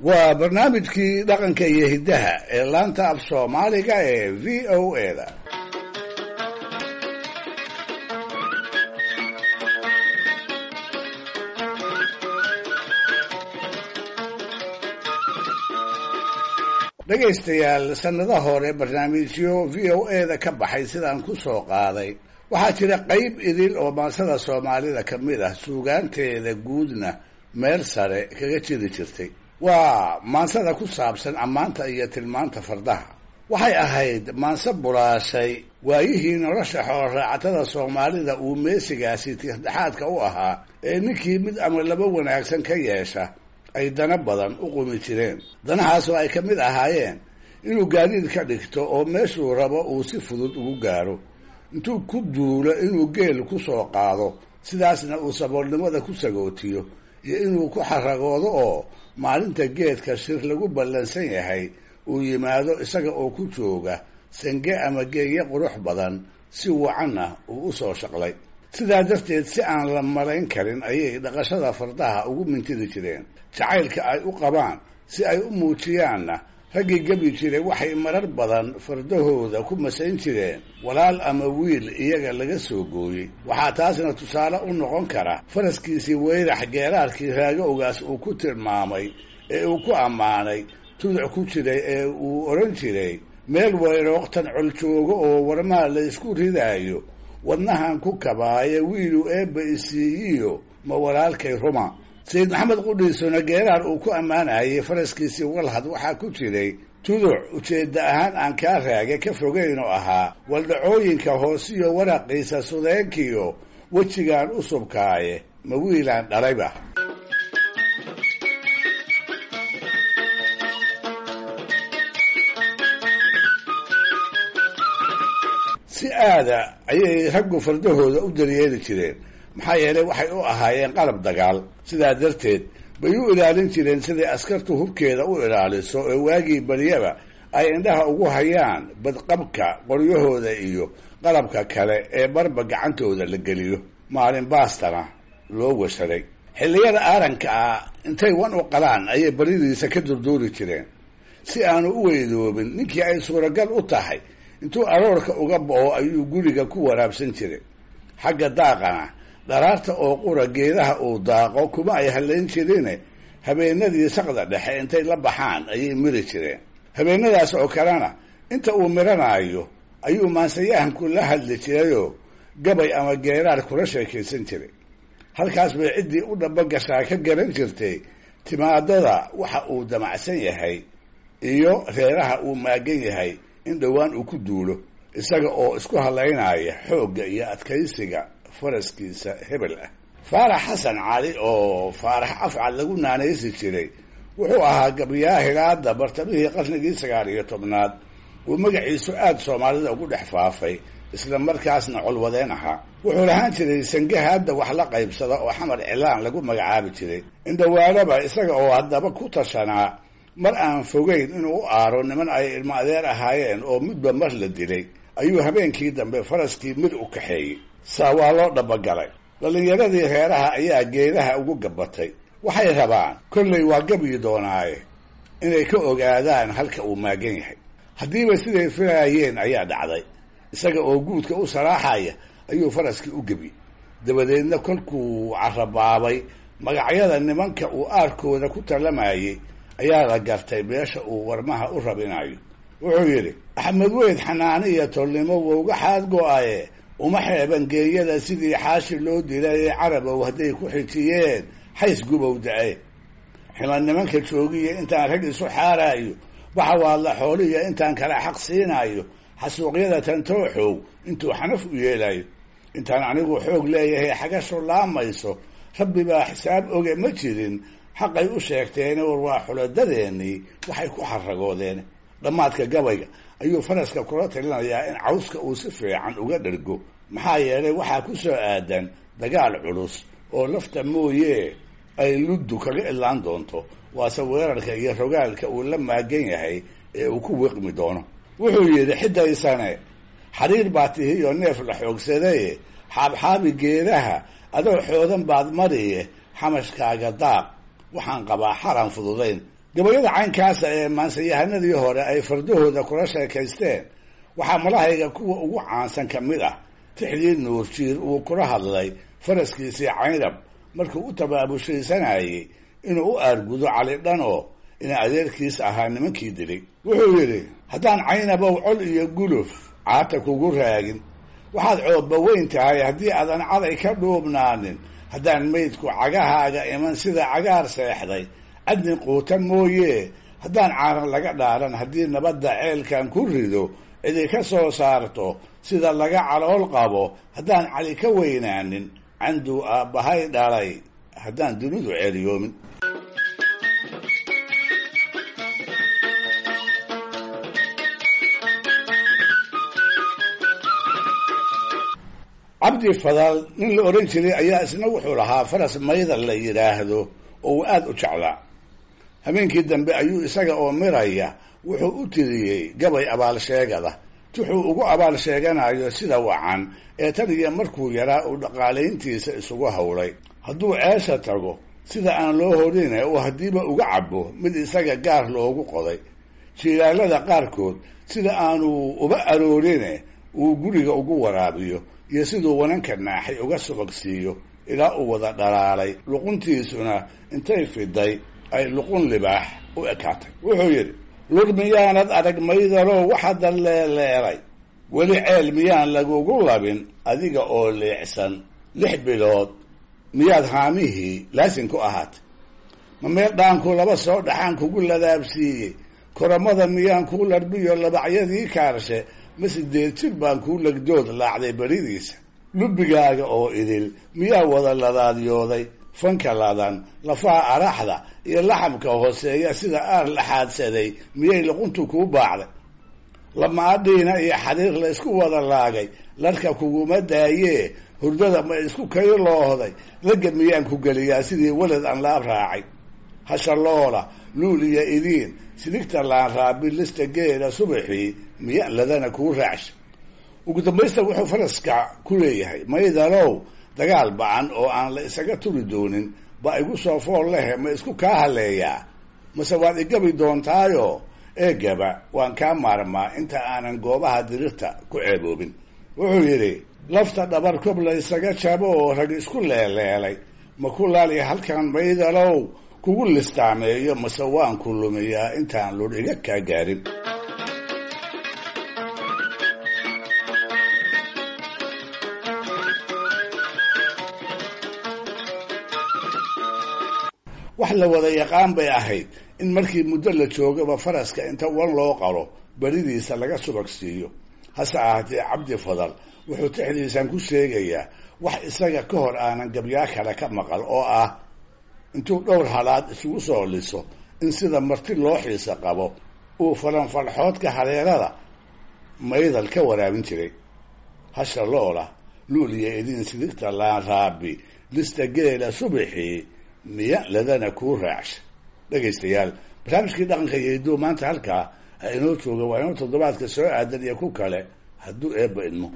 Waa barnaamijkii dhaqanka iyo hiddaha ee laanta af Soomaaliga ee VOA-da. Dhegaystayaal, sannado hore barnaamijyo VOA-da ka baxay sidaan ku soo qaaday, waxaa jira qayb idil oo maansada Soomaalida ka mid ah, suugaanteeda guudna meel sare kaga jiri jirtay. Waa maansada ku saabsan ammaanta iyo tilmaanta fardaha. Waxay ahayd maanse bulaashay waayihii nolosha xooloraacatada Soomaalida uu meesigaasi tiirdhexaadka u ahaa, ee ninkii mid ama laba wanaagsan ka yeesha ay dana badan u qumi jireen. Danahaas oo ay ka mid ahaayeen inuu gaadiid ka dhigto oo meeshuu rabo uu si fudud ugu gaaro, intuu ku duulo inuu geel ku soo qaado, sidaasna uu saboolnimada ku sagootiyo, iyo inuu ku xaragoodo oo maalinta geedka shir lagu ballansan yahay uu yimaado isaga oo ku jooga sange ama geeye qurux badan, si wacanna uu u soo shaqlay. Sidaa darteed, si aan la malayn karin ayay dhaqashada fardaha ugu mintidi jireen. Jacaylka ay u qabaan si ay u muujiyaanna, raggii gebi jiray waxay marar badan fardahooda ku masayn jireen walaal ama wiil iyaga laga soo gooyey. Waxaa taasna tusaale u noqon kara faraskiisii Weyrax, geeraarkii Raagowgaas uu ku tilmaamay ee uu ku ammaanay tuduc ku jiray ee uu odhan jiray: "Meel weyrooktan col joogo oo warmaa la isku ridaayo, wadnahan ku kabaaye, wiilu eebba isiiyiyo ma walaalkay ruma." Sayid Maxamed qudhiisuna geeraar uu ku ammaanayay faraskiisii Walhad waxaa ku jiray tuduc ujeedda ahaan aan kaa Raage ka fogeyn oo ahaa: "Waldhacooyinka hoosiyo waraqiisa sudeenkiyo, wejigaan u subkaaye, ma wiilaan dhalayba." Si aada ayay raggu fardahooda u daryeeli jireen, maxaa yeelay waxay u ahaayeen qalab dagaal. Sidaa darteed bay u ilaalin jireen siday askartu hubkeeda u ilaaliso, ee waagii baryaba ay indhaha ugu hayaan badqabka qoryahooda iyo qalabka kale ee barba gacantooda la geliyo. Maalin baastana loo washaray xilliyada aaranka ah, intay wan u qalaan ayay baridiisa ka durduuri jireen si aanu u weydoobin. Ninkii ay suuragal u tahay, intuu aroorka uga bo'o ayuu guriga ku waraabsan jiray. Xagga daaqana, dharaarta oo qura geedaha uu daaqo kuma ay hallayn jirine, habeenadii saqda dhexe intay la baxaan ayay miri jireen. Habeenadaas oo kalena inta uu miranaayo ayuu maansayahanku la hadli jirayoo gabay ama geeraar kula sheekaysan jiray. Halkaas bay ciddii u dhaba gashaa ka garan jirtay timaadada waxa uu damacsan yahay iyo reeraha uu maagan yahay in dhowaan uu ku duulo, isaga oo isku hadlaynaya xoogga iyo adkaysiga faraskiisa hebel ah. Faarax Xasan Cali, oo Faarax Afcad lagu naanaysi jiray, wuxuu ahaa gabyaa hilaada bartamihii qarnigii 19aad uu magaciisu aada Soomaalida ugu dhex faafay, isla markaasna colwadeen ahaa. Wuxuu lahaan jiray sangaha hadda wax la qaybsada oo Xamar Cilaan lagu magacaabi jiray. Indhawaanaba isaga oo haddaba ku tashanaa mar aan fogeyn inuu u aaro niman ay ilmo adeer ahaayeen oo midba mar la dilay, ayuu habeenkii dambe faraskii mid u kaxeeyey. Saa waa loo dhabagalay. Dhallinyaradii reeraha ayaa geedaha ugu gabbatay. Waxay rabaan, kollay waa gabyi doonaaye, inay ka ogaadaan halka uu maagan yahay. Haddiiba siday filaayeen ayaa dhacday. Isaga oo guudka u saraaxaya ayuu faraskii u gebi. Dabadeedna kolkuu carabaabay magacyada nimanka uu aarkooda ku tallamayay, ayaa la gartay meesha uu warmaha u rabinayo. Wuxuu yidhi: "Axmed Weyd xanaani iyo tolnimo wowga xaad go-aye, uma xeeban geeyada sidii xaashi loo dilay ee Carabow hadday ku xijiyeen xays gubow da-e. Xima nimanka joogiya intaan rag isu xaaraayo, waxa waadla xooliya intaan kala xaq siinaayo, xasuuqyada tantooxow intuu xanaf u yeelayo, intaan anigu xoog leeyahay xagashu laamayso, Rabbi baa xisaab oge ma jirin xaqay u sheegteene, war waa xuladadeenii waxay ku xaragoodeen." Dhammaadka gabayga ayuu faraska kula talinayaa in cawska uu si fiican uga dhergo, maxaa yeelay waxaa ku soo aadan dagaal culus oo lafta mooyee ay luddu kaga ilaan doonto, waase weerarka iyo rogaalka uu la maagan yahay ee uu ku wiqmi doono. Wuxuu yidhi: "Xidaysane xariir baa tihiyo neef la xoogsadaye, xaabxaabi geedaha adoo xoodan baad mariye, xamashkaaga daaq waxaan qabaa xaran fududayn." Gabayada caynkaasa ee maansayahanadii hore ay fardahooda kula sheekaysteen waxaa malahayga kuwa ugu caansan ka mid ah tixdii Nuurjiir uu kula hadlay faraskiisii Caynab markuu u tabaabushaysanayey inuu u aargudo Cali Dhanoo ina adeerkiis ahaa nimankii dilay. Wuxuu yidhi: haddaan Caynabow col iyo guluf caata kugu raagin, waxaad coobba weyn tahay haddii aadan caday ka dhuubnaanin, haddaan maydku cagahaaga iman sida cagaar seexday cadni quuta mooyee, haddaan caaran laga dhaaran, haddii nabadda ceelkan ku rido cidi ka soo saarto sida laga calool qabo, haddaan Cali ka weynaanin canduu aabbahay dhalay, haddaan dunidu ceeliyoomin. Cabdi Fadal nin la odhan jiray ayaa isna wuxuu lahaa faras Maydal la yidhaahdo oo uu aada u jeclaa. Habeenkii dambe ayuu isaga oo miraya wuxuu u tiriyey gabay abaal sheegada, tuxuu ugu abaal sheeganayo sida wacan ee tan iyo markuu yaraa uu dhaqaalayntiisa isugu howlay. Hadduu ceesha tago sida aan loo horine uu haddiiba uga cabo mid isaga gaar loogu qoday, jiilaalada qaarkood sida aanu uba aroorine uu guriga ugu waraabiyo, iyo siduu wananka naaxay uga subagsiiyo ilaa uu wada dhalaalay, luquntiisuna intay fiday ay luqun libaax u ekaatay. Wuxuu yidhi: lur miyaanad arag Maydalow waxa dalleeleelay, weli ceel miyaan lagugu labin adiga oo leecsan, 6 bilood miyaad haamihii laasin ku ahaatay, ma meel dhaanku laba soo dhaxaan kugu ladaabsiiyey, koramada miyaan kuu larbiyo labacyadii kaarshe, ma 8 jir baan kuu lagdood laacday beridiisa, lubbigaaga oo idil miyaa wada ladaadyooday, fanka ladan lafaha araxda iyo laxamka hooseeya sida aar laxaadsaday miyay luquntu kuu baacday, lamaadhiina iyo xariir la isku wada laagay larka kuguma daayee, hurdada ma isku kayloohday, lagga miyaan ku geliyaa sidii walad aan laab raacay, hashaloola luul iyo idiin sidigta laan raabi lista geela subaxii miya ladana kuu raacsha. Ugu dambaysta wuxuu faraska ku leeyahay: Maydalow dagaal bacan oo aan la isaga turi doonin ba igu soo fool lehe, ma isku kaa haleeyaa mase waad igabi doontaayo eegaba waan kaa maarmaa inta aanan goobaha dirirta ku ceeboobin. Wuxuu yidhi: lafta dhabar kob la isaga jabo oo rag isku leeleelay, ma ku laali halkan Maydalow kugu listaameeyo, mase waan ku lumiyaa intaan lur iga kaa gaarin. Wax la wada yaqaan bay ahayd in markii muddo la joogaba faraska inta wan loo qalo beridiisa laga subag siiyo. Hase ahaatee Cabdi Fadal wuxuu tixdiisan ku sheegayaa wax isaga ka hor aanan gabyaa kale ka maqal, oo ah intuu dhowr halaad isugu soo liso in sida marti loo xiisa qabo uu falanfalxoodka hareerada Maydal ka waraabin jiray. Hasha loola luul iyo idiin sidigta laan raabi lista geela subaxii miya ladana kuu raacsha. Dhegaystayaal, barnaamijkii dhaqanka iyo hidduu maanta halkaa ha inoo jooga, waa inoo toddobaadka soo aadan iyo ku kale hadduu Eebba idmo.